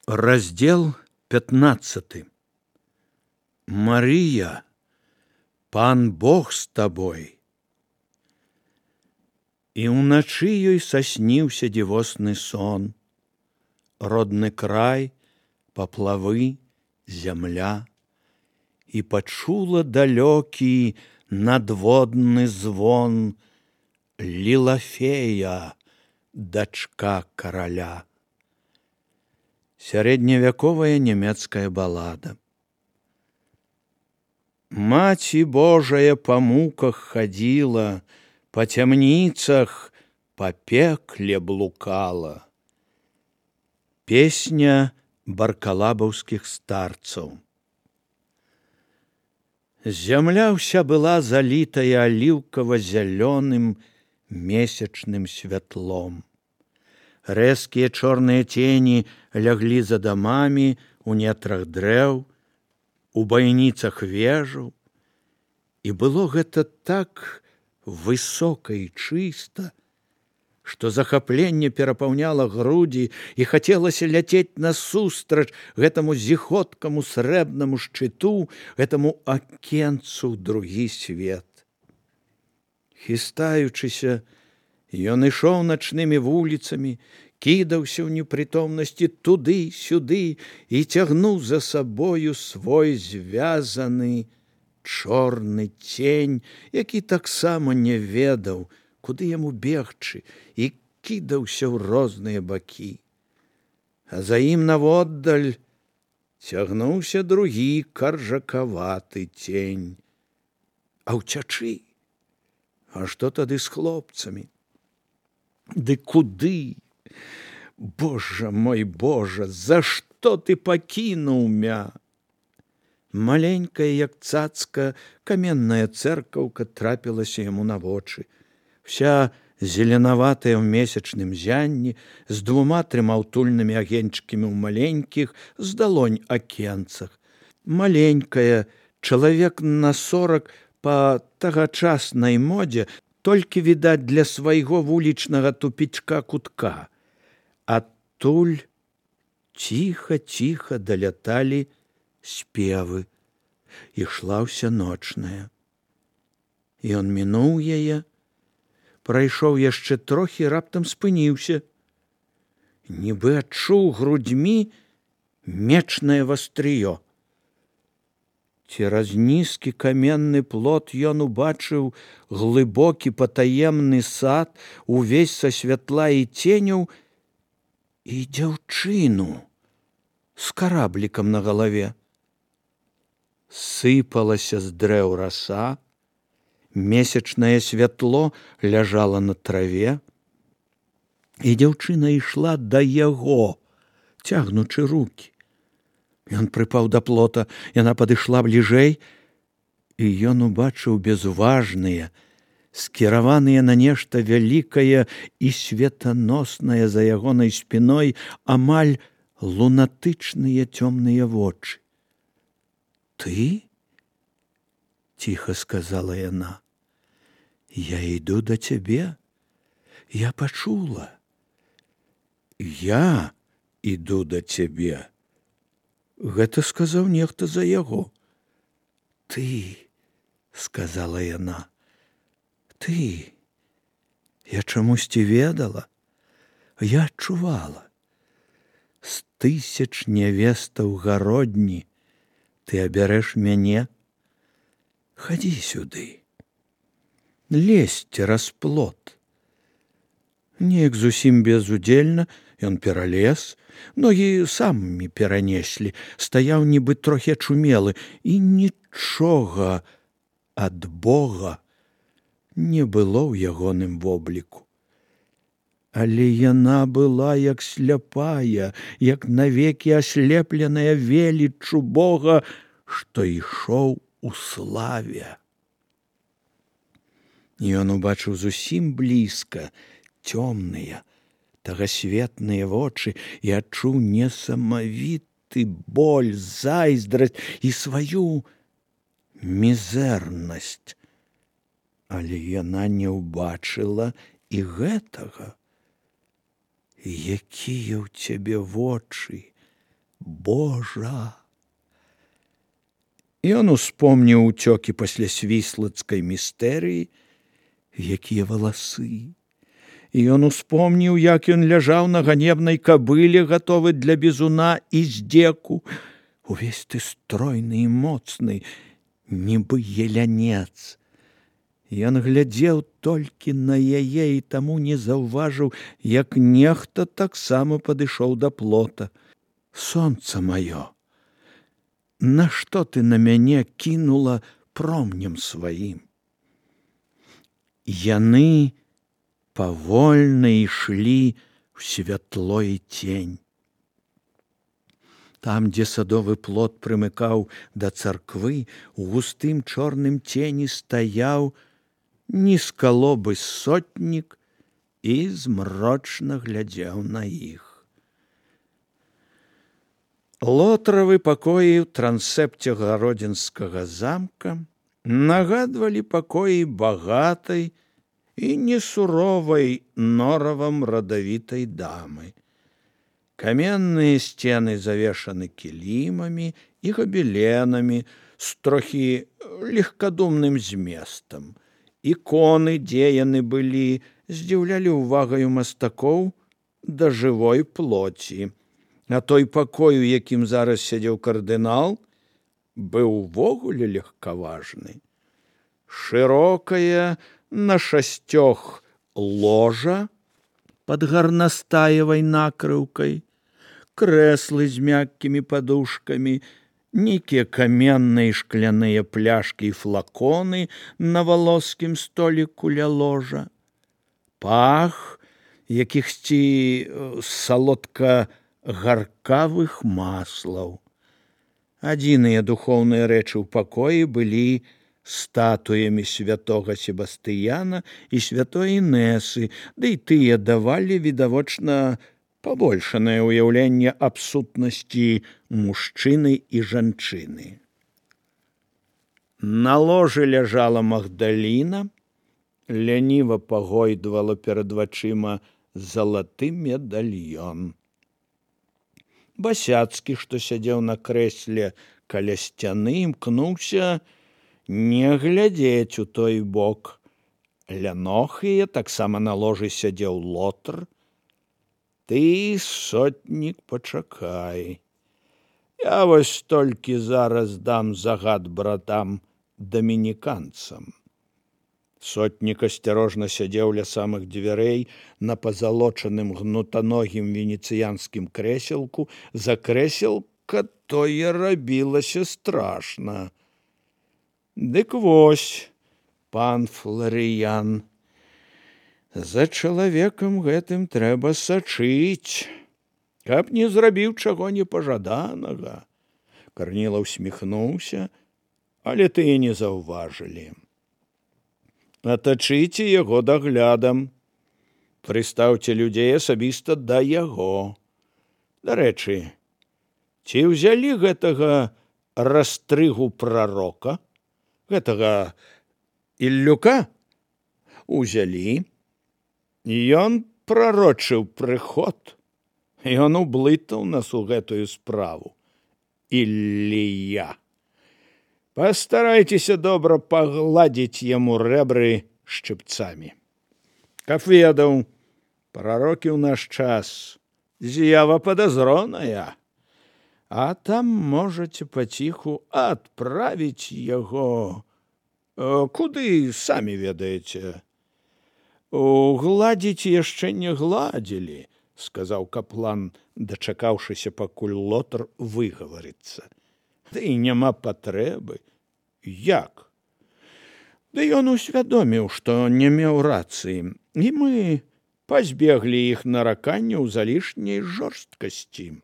Раздел 15. Мария, Пан Бог с тобой. І ўначы ёй сасніўся дзівосны сон. Родны край, паплавы, зямля. І пачула далёкі надводны звон Лілафея, дачка караля. Сярэдневяковая нямецкая балада. Маці Божая па муках хадзіла, па цямніцах, па пекле блукала. Песня баркалабаўскіх старцаў. Зямля ўся была залітая аліўкава-зялёным месячным святлом. Рэзкія чорныя цені ляглі за дамамі, у нетрах дрэў, у байніцах вежаў. І было гэта так высока і чыста, што захапленне перапаўняла грудзі і хацелася ляцець насустрач гэтаму зіхоткаму срэбнаму шчыту, гэтаму акенцу ў другі свет. Хістаючыся, ён ішоў начнымі вуліцамі, кідаўся ў непрытомнасці туды-сюды і цягнуў за сабою свой звязаны чорны цень, які таксама не ведаў, куды яму бегчы, і кідаўся ў розныя бакі. А за ім наводдаль цягнуўся другі каржакаваты цень. А ўцячы? А што тады з хлопцамі? Ды куды? Божа мой, Божа, за што ты пакінуў мя? Маленькая, як цацка, каменная цэркаўка трапілася яму на вочы. Вся зеленаватая ў месячным зянні, з 2-3 утульнымі агеньчыкамі ў маленькіх, з далонь акенцах. Маленькая, чалавек на 40 па тагачаснай модзе, толькі, відаць, для свайго вулічнага тупічка-кутка. Адтуль ціха-ціха даляталі спевы. Ішла ўсяночная. Ён мінуў яе, прайшоў яшчэ трохі, раптам спыніўся. Нібы адчуў грудзьмі мечнае вастрыё. Цераз нізкі каменны плот ён убачыў глыбокі патаемны сад, увесь са святла і ценяў, і дзяўчыну з караблікам на галаве. Сыпалася з дрэў раса, месячнае святло ляжала на траве, і дзяўчына ішла да яго, цягнучы рукі. Ён прыпаў да плота, яна падышла бліжэй, і ён убачыў безуважныя, скіраваныя на нешта вялікае і светаноснае за ягонай спіной амаль лунатычныя цёмныя вочы. «Ты?» – ціха сказала яна. «Я іду да цябе. Я пачула. Я іду да цябе». Гэта сказаў нехта за яго. «Ты», – сказала яна, – «ты». Я чамусьці ведала, я адчувала. З 1000 нявестаў гародні ты абярэш мяне? Хадзі сюды. Лезь цераз плот. Неяк зусім безудзельна ён пералез, ногі самі перанеслі, стаяў нібы трохі ачумелы, і нічога ад Бога не было ў ягоным вобліку. Але яна была як сляпая, як навекі аслепленая веліччу Бога, што ішоў у славе. Ён убачыў зусім блізка цёмныя, тагасветныя вочы і адчуў несамавіты боль, зайздрасць і сваю мізэрнасць. Але яна не ўбачыла і гэтага. Якія ў цябе вочы, Божа! Ён успомніў уцёкі пасля свіслацкай містэрыі, якія валасы. І ён успомніў, як ён ляжаў на ганебнай кабыле, гатовы для бізуна і здзеку. Увесь ты стройны і моцны, нібы елянец. Ён глядзеў толькі на яе і таму не заўважыў, як нехта таксама падышоў да плота. Сонца маё, нашто ты на мяне кінула промнем сваім? Яны павольна ішлі ў святло і цень. Там, дзе садовы плот прымыкаў да царквы, у густым чорным цені стаяў нізкалобы сотнік і змрочна глядзеў на іх. Лотравы пакоі ў трансепце гародзінскага замка нагадвалі пакоі багатай і несуровай норавам радавітай дамы. Каменныя сцены завешаны кілімамі і габеленамі з трохі легкадумным зместам. Іконы, дзе яны былі, здзіўлялі ўвагаю мастакоў да жывой плоці. А той пакой, у якім зараз сядзеў кардынал, быў увогуле легкаважны. Шырокая на 6 ложа пад гарнастаевай накрыўкай, крэслы з мяккімі падушкамі, нейкія каменныя шкляныя пляшкі і флаконы на валоскім століку ля ложа, пах якіхсьці салодка-гаркавых маслаў. Адзіныя духоўныя рэчы ў пакоі былі статуямі святога Себастыяна і святой Інесы, ды і тыя давалі, відавочна, пабольшанае ўяўленне аб сутнасці мужчыны і жанчыны. На ложы ляжала Магдаліна, ляніва пагойдвала перад вачыма залаты медальён. Басяцкі, што сядзеў на крэсле каля сцяны, імкнуўся не глядзець у той бок. Ля ног яе таксама на ложы сядзеў Лотар. Ты, сотнік, пачакай. Я вось толькі зараз дам загад братам-дамініканцам. Сотнік асцярожна сядзеў ля самых дзвярэй на пазалочаным гнутаногім венецыянскім крэселку. За крэселка тое рабілася страшна. Дык вось, пан Фларыян, за чалавекам гэтым трэба сачыць, каб не зрабіў чаго непажаданага. Карніла ўсміхнуўся, але тыя не заўважылі. Атачыце яго даглядам, прыстаўце людзей асабіста да яго. Дарэчы, ці ўзялі гэтага растрыгу прарока, гэтага Іллюка? Узялі. Ён прарочыў прыход. Ён ублытаў нас у гэтую справу. Іллія. Пастарайцеся добра пагладзіць яму рэбры шчыпцамі. Каб ведаў, прарокі ў наш час з'ява падазроная, а там можаце паціху адправіць яго, куды самі ведаеце. Гладзіць яшчэ не гладзілі, сказаў каплан, дачакаўшыся, пакуль Лотар выгаварыцца. Ды і няма патрэбы. Як? Ды ён усвядоміў, што не меў рацыі, і мы пазбеглі іх нараканняў за лішняй жорсткасці.